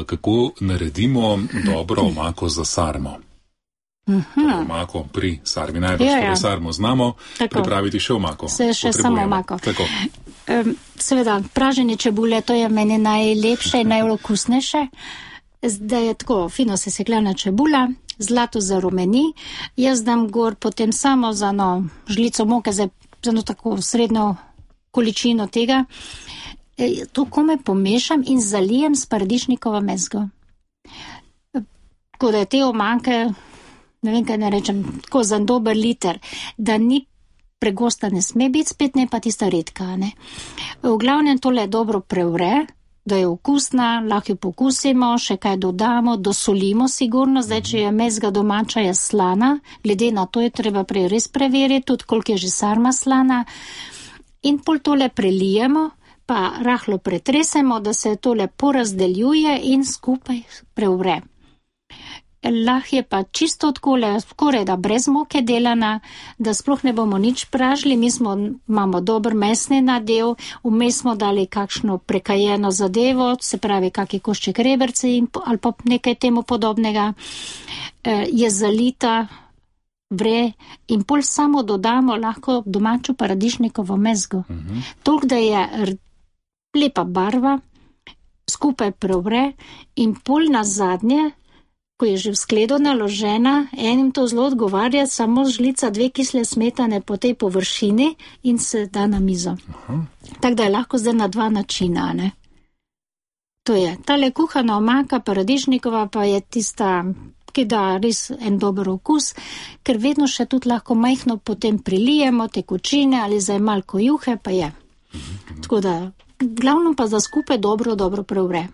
kako naredimo dobro omako za sarmo. Omako pri sarmi, najbrž pri sarmo znamo pripraviti še omako. Še samo omako. Seveda, praženje čebule, to je meni najlepše in najokusnejše. Zdaj je tako, fino sesekljana čebula, zlato zarumeni, jaz dam gor potem samo za žlico moke, za tako srednjo količino tega. To kome pomešam in zalijem s paradižnikovo mezgo. Tako da je te omake, ne vem, kaj ne rečem, tako za dober liter, da ni pregosta ne sme biti, spet ne pa tista redka, ne. V glavnem tole dobro prevre, da je okusna, lahko jo pokusimo, še kaj dodamo, dosolimo sigurno, zdaj, če je mezga domača, je slana, glede na to je treba prej res preveriti, tudi koliko je že sarma slana, in pol tole prelijemo, pa rahlo pretresemo, da se tole porazdeljuje in skupaj prevre. Lahko je pa čisto odkole, skoraj da brez moke delana, da sploh ne bomo nič pražili, imamo dober mesni nadev, vmes smo dali kakšno prekajeno zadevo, se pravi kakšne košček reberce ali pa nekaj temu podobnega, je zalita, vre in pol samo dodamo lahko domačo paradižnikovo mezgo. Toliko, da je lepa barva, skupaj prevre in pol nazadnje, ko je že v skledo naložena, enim to zelo odgovarja, samo žlica 2 kisle smetane po tej površini in se da na mizo. Tako da je lahko zdaj na 2 načina, ne. To je, tale kuhana omaka paradižnikova pa je tista, ki da res en dober okus, ker vedno še tudi lahko majhno potem prilijemo tekočine ali zdaj malko juhe, pa je. Tako da, glavno pa za skupaj dobro prevre.